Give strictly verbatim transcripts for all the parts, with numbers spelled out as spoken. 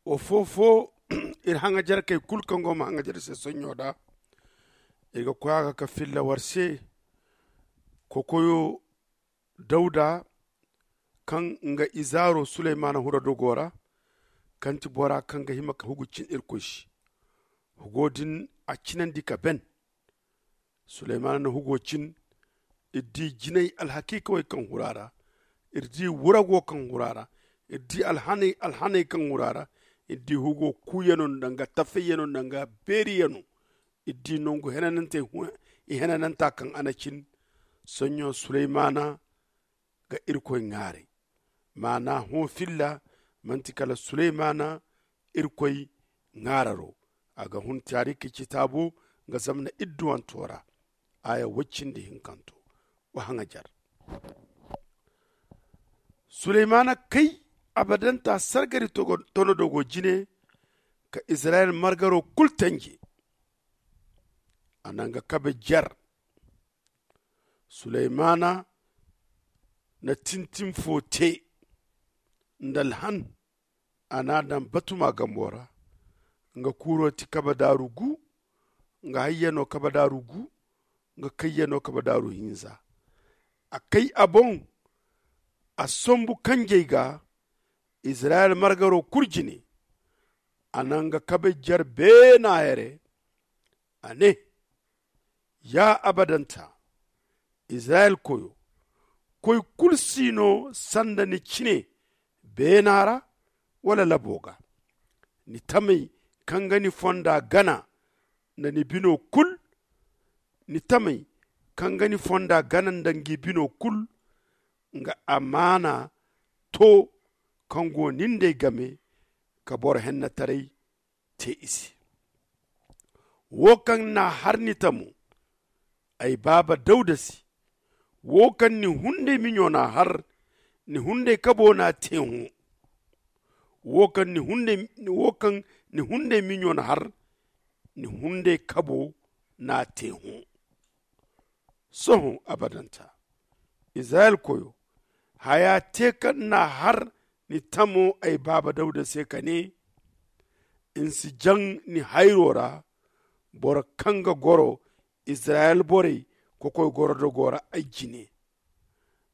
Wo foo-foo iri haŋajarkey kul kaŋ go ma haŋajar se sonɲo da. Iri ga koy a ga ka filla war se kokoyo dawda, kaŋ nga izaaro suleymana hura dogo ra, kaŋ ti bora kaŋ ga hima ka hugu cin irkoy se. Hugo din a cinandi ka ben. Suleymana na hugo cin. Iri di jinay alhakiikawey kaŋ hura ra. Iri di wurago kaŋ hura ra. Iri di alhaney kaŋ hura ra. Iri di hugo kuuyano nda nga tafeyyano nda nga beeriyano. Iri di nangu henanantey i henananta kaŋ a na cin. Sonɲo suleymana ga irkoy ŋaaray. Maana hõ filla manti kala suleymana irkoy ŋaararo. A ga hun taariki citaabo nga zamna idduwanto ra. Aya woy cindi hinkanto. Wa haŋajar. Suleymana kay abadanta sargari tonodogo jine ka izirayel margaro kul tanje. A na nga kabe jer. Suleymana na tintin fo te nda alhan. A n'a daŋ batuma gambo ra. Nga kuuro ti kabe daaru gu. Nga hayyano kabe daaru gu. Nga kayyano kabe daaru hinza. A kay a boŋ. A sombu kanjey ga izirayel margaro kul jine. A na nga kabe jer beena here. A ne, ya abadanta izirayel koyo, koy kulu si no sanda ni cine beena ra wala labo ga. Ni tamey kaŋ ga ni fonda gana nda ni bino kul. Ni tamey kaŋ ga ni fonda gana nda ngi bino kul. Nga amaana to kaŋ go nin d'ey game ka boro hennataray te i se. Wo kaŋ n'a har ni tamo ay baaba dawda se. Wo kaŋ ni hunday miɲo n'a har ni hunday kabo n'a te hõ. Wo kaŋ ni hunday miɲo n'a har ni hunday kabo n'a te hõ. Sohõ abadanta izirayel koyo, haya te kaŋ n'a har ni tamo ay baaba dawda se ka ne, ni si jaŋ ni hayro ra. Boro kaŋ ga goro izirayel borey kokoy gorodogo ra ay jine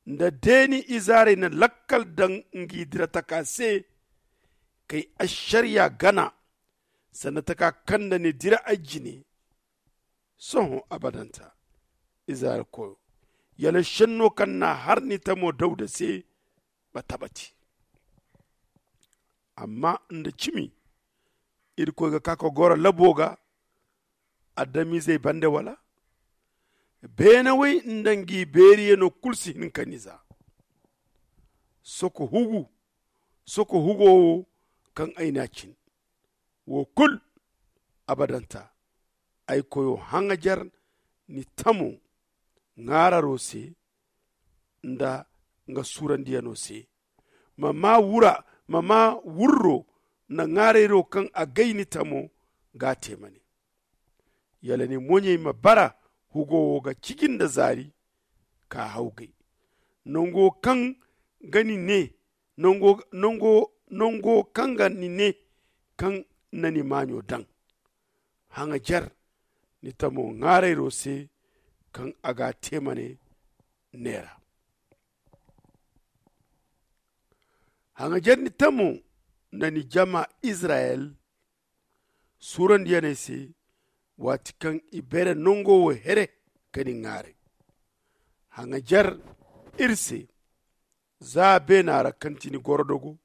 nda deeni izaarey na lakkal daŋ ngi dira taka se. Kay ašariya gana sanda taka kaŋ nda ni dira ay jine. Sohõ abadanta izirayel koyo, yala šenno kaŋ n'a har ni tamo dawda se ma tabati. Amma nda cimi irkoy ga ka ka goro labo ga adamizey bande wala? Beenawey nda ngi beeriyano kulu si hin ka ni za. Soko hugu soko hugo wo kaŋ ay n'a cin. Wo kulu abadanta ay koyo haŋajer ni tamo ŋaararo se nda nga suurandiyano se. Ma maa wurro nda ŋaarayro kaŋ a gay ni tamo ga a te ma ne. Yala ni moɲey ma bara hugo wo ga ciji nda zaari ka hawgay nango kaŋ ga ni ne nango kaŋ ga ni ne kaŋ na ni maaɲo daŋ. Haŋajer ni tamo ŋaarayro se kaŋ a ga a te ma ne neera. Haŋajer ni tamo nda ni jama izirayel suurandiyaney se waati kaŋ i beere nango wo here ka ni ŋaaray. Haŋajer iri se za beena ra kaŋ ti ni gorodogo.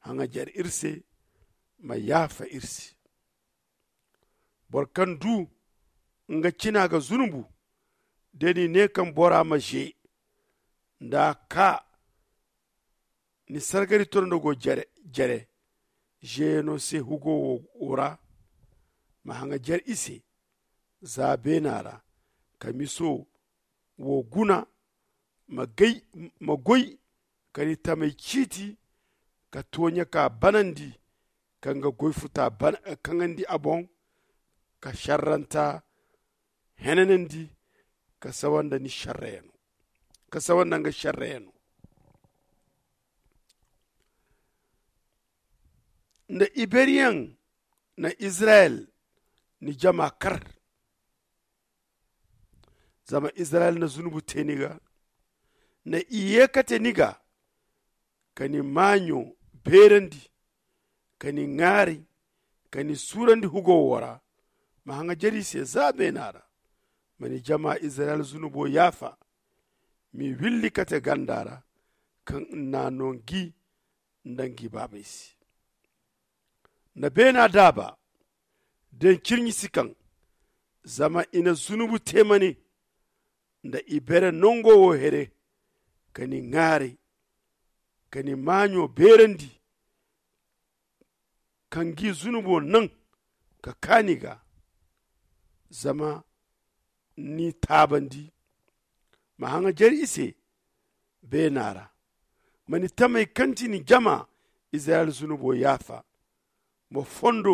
Haŋajer iri se ma yaafa iri se. Boro kaŋ du nga cina ga zunubu da ni ne kaŋ bora ma ze nda a ka ni sargari tondogo jere zeyano se hugo wo ra. Ma haŋajer i se za beena ra ka miso wo guna. Ma goy ka ni tamey ciiti ka tooɲe ka banandi ka nga goy futa kaŋandi a boŋ ka šerranta henanandi ka sawa nda ni šerreyano ka sawa nda nga šerreyano. Nda iberyaŋ na izirayel ni jama kar. Zama izirayel na zunubu te ni ga, nda i ye kate ni ga, ka ni maaɲo beerandi, ka ni ŋaaray, ka ni suurandi hugo wo ra. Ma haŋajer i se za beena ra. Ma ni jama izirayel zunubo yaafa. M'i willi kate ganda ra, kaŋ n'a no ngi nda ngi baabey se. Nda beena daaba, den cirɲi si kaŋ. Zama i na zunubu te ma ne, nda i bere nango wo here, ka ni ŋaaray, ka ni maaɲo beerandi, ka ngi zunubo naŋ ka kaa ni ga. Zama ni taabandi. Ma haŋajer i se beena ra. Ma ni tamey kaŋ ti ni jama izirayel zunubo yaafa. Ma fondo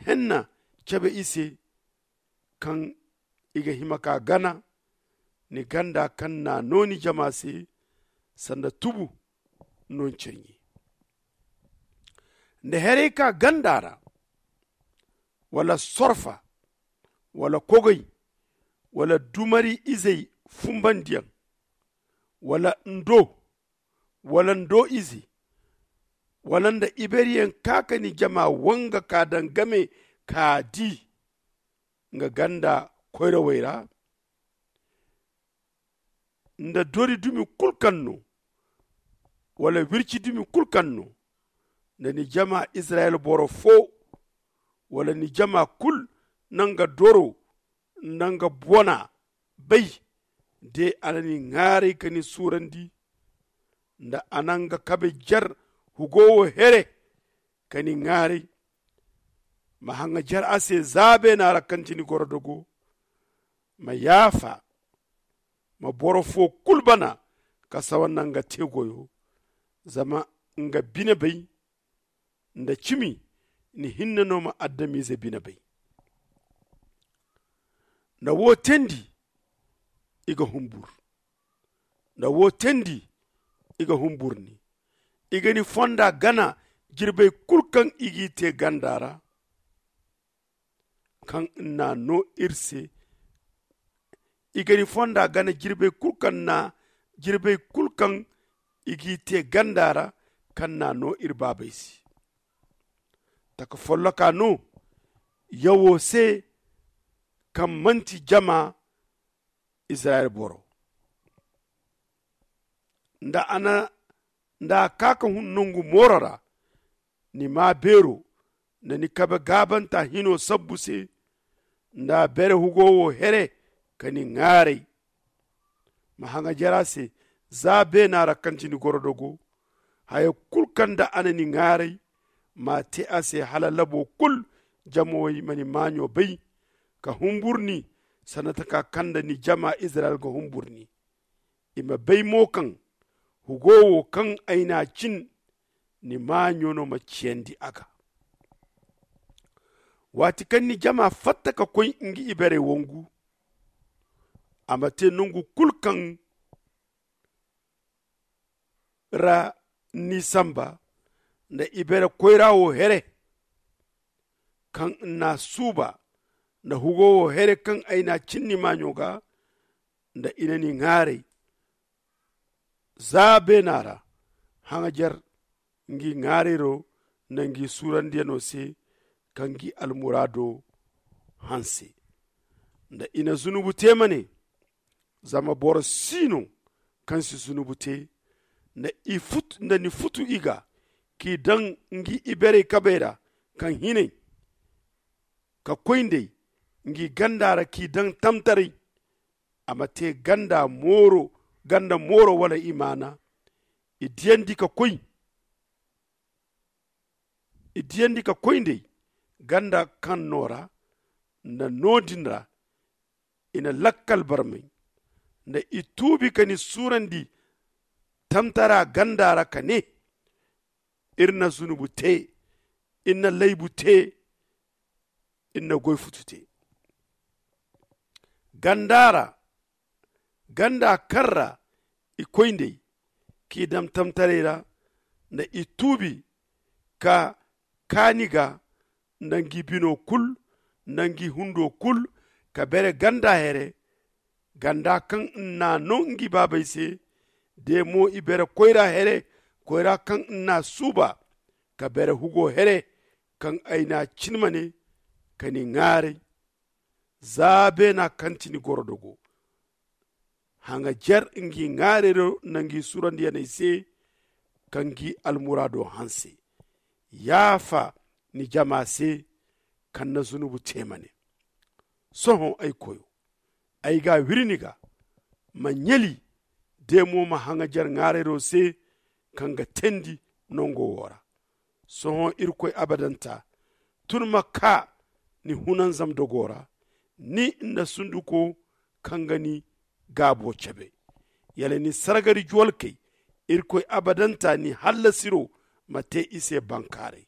henna cabe i se, kaŋ i ga hima ka gana ni ganda kaŋ n'a no ni jama se, sanda tubu no ni caɲi. Nda herey ka ganda ra, wala sorfa, wala kogay, wala dumari izey fumbandiyaŋ, wala ndo, wala ndo ize, wala nda iberyaŋ ka ka ni jama wanga ka daŋ game ka di nga ganda koyrawey ra, nda dori dumi kulu kaŋ no, wala wirci dumi kulu kaŋ no, nda ni jama izirayel boro fo, wala ni jama kulu na nga doro nda nga bona bay, de a na ni ŋaaray ka ni suurandi, nda a na nga kabe jer hugo wo here ka ni ŋaaray. Ma haŋajer a se za beena ra kaŋ ti ni gorodogo. Ma yaafa. Ma boro fo kulu bana ka sawa nda nga te goyo. Zama nga bine bay nda cimi ni hinne no ma adamize bine bay. Nda wo teendi i ga humbur. Nda wo teendi i ga humbur ni. I ga ni fonda gana jirbey kulu kaŋ i g'i te ganda ra, kaŋ n'a no iri se. I ga ni fonda gana jirbey kulu kaŋ n'a jirbey kulu kaŋ i g'i te ganda ra, kaŋ n'a no iri baabey se. Taka folloka no yawo se, kaŋ manti jama izirayel boro. Nda a na nda a ka ka hun nangu mooro ra, ni maa beero nda ni kabe gaabanta hino sabbu se, nda a bere hugo wo here ka ni ŋaaray. Ma haŋajer a se za beena ra kaŋ ti ni gorodogo. Haya kulu kaŋ nda a na ni ŋaaray, m'a te a se hala labo kulu jamawey ma ni maaɲo bay ka humbur ni, sanda taka kaŋ nda ni jama izirayel ga humbur ni. I ma bay mo kaŋ hugo wo kaŋ ay n'a cin, ni maaɲo no ma ciyandi a ga. Waati kaŋ ni jama fatta ka koy ngi iberey wangu, a ma te nangu kulu kaŋ ra ni samba nda ibere koyra wo here, kaŋ n'a suuba nda hugo wo here kaŋ ay n'a cin ni maaɲo ga, nda i na ni ŋaaray za beena ra. Haŋajer ngi ŋaarayro nda ngi suurandiyano se ka ngi almuraado hanse. Nda i na zunubu te ma ne, zama boro si no kaŋ si zunubu te. Nda i futu nda ni futu i ga k'i daŋ ngi iberey kabey ra, kaŋ hinay ka koy nd'ey ngi ganda ra k'i daŋ tamtaray. A ma te ganda mooro ganda mooro wala imaana. I diyandi ka koy i diyandi ka koy nd'ey ganda kaŋ no ra. Nda no-din ra i na lakkal barmay nda i tuubi ka ni suurandi tamtara ganda ra ka ne, iri na zunubu te, iri na laybu te, iri na goy futu te. Ganda ra ganda kaŋ ra i koy nd'ey k'i daŋ tamtaray ra, nda i tuubi ka kaani ga nda ngi bino kul nda ngi hundo kul, ka bere ganda here ganda kaŋ n'na no ngi baabey se. De mo i bere koyra here, koyra kaŋ n'na suuba ka bere hugo here, kaŋ ay n'a cinma ne ka ni ŋaaray. Za beena kaŋ ti ni gorodogo haŋajer ngi ŋaarayro nda ngi surandiyaney se, ka ngi almuraado hanse. Yaafa ni jama se kaŋ na zunubu te ma ne. Sohõ ay koyo, ay ga wiri ni ga, ma ɲali de mo ma haŋajer ŋaarayro se, kaŋ ga teendi nango wo ra. Sohõ irkoy abadanta, tun ma kaa ni hunanzam dogo ra, ni nda sunduko kaŋ ga ni gaabo cabe. Yala ni sargari juwalkey, irkoy abadanta ni hallasiro ma te i se bankaaray.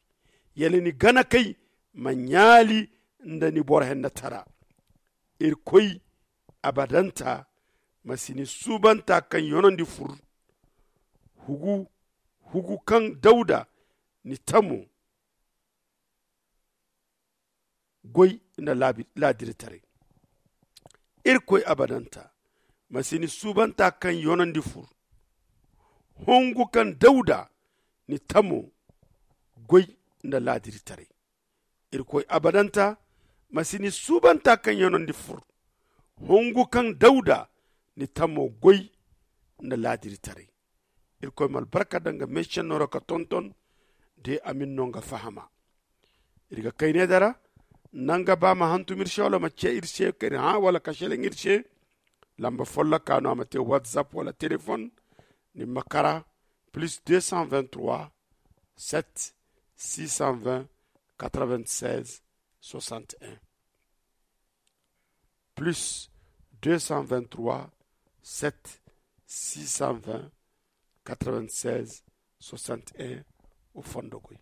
Yala ni ganakey ma ɲaali nda ni boro hennatara. Irkoy abadanta, ma si ni suubanta kaŋ yonandi fur, hugu kaŋ dawda ni tamo goy nda laadiritaray. Irkoy abadanta, ma si ni suubanta kaŋ yonandi fur, hongu kaŋ dawda ni tamo goy nda laadiritaray. Irkoy abadanta, ma si ni suubanta kaŋ yonandi fur, hongu kaŋ dawda ni tamo goy nda laadiritaray. Irkoy ma albarka daŋ ga meesenno ra ka tonton de a ma ni no nga fahama. Iri ga kayne dara, nanga ba ma hantum iri se wala ma ce iri se ka iri hã wala ka selaŋ iri se. Lamba folloka no a ma te whatsapp wala telefon. Ni ma kara plus deux cent vingt-trois, sept, six cent vingt, quatre-vingt-seize, soixante-un. Plus deux cent vingt-trois, sept, six cent vingt, quatre-vingt-seize, soixante-un. O fondo goy.